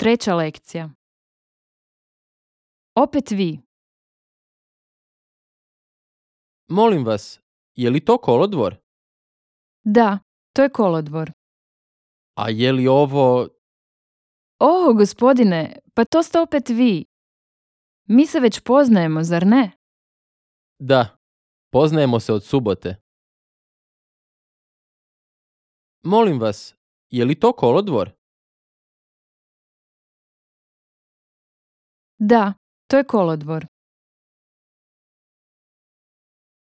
Treća lekcija. Opet vi. Molim vas, je li to kolodvor? Da, to je kolodvor. A je li ovo... O, gospodine, pa to ste opet vi. Mi se već poznajemo, zar ne? Da, poznajemo se od subote. Molim vas, je li to kolodvor? Da, to je kolodvor.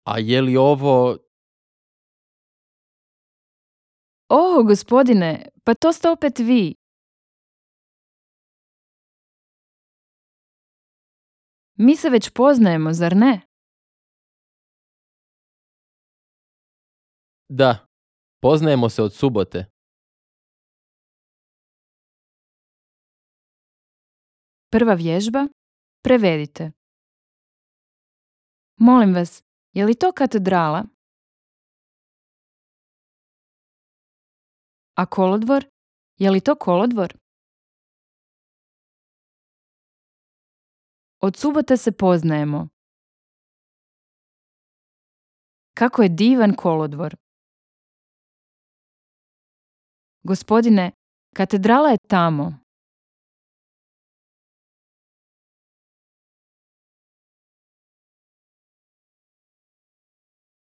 A je li ovo... O, gospodine, pa to ste opet vi. Mi se već poznajemo, zar ne? Da, poznajemo se od subote. Prva vježba. Prevedite. Molim vas, je li to katedrala? A kolodvor? Je li to kolodvor? Od subote se poznajemo. Kako je divan kolodvor. Gospodine, katedrala je tamo.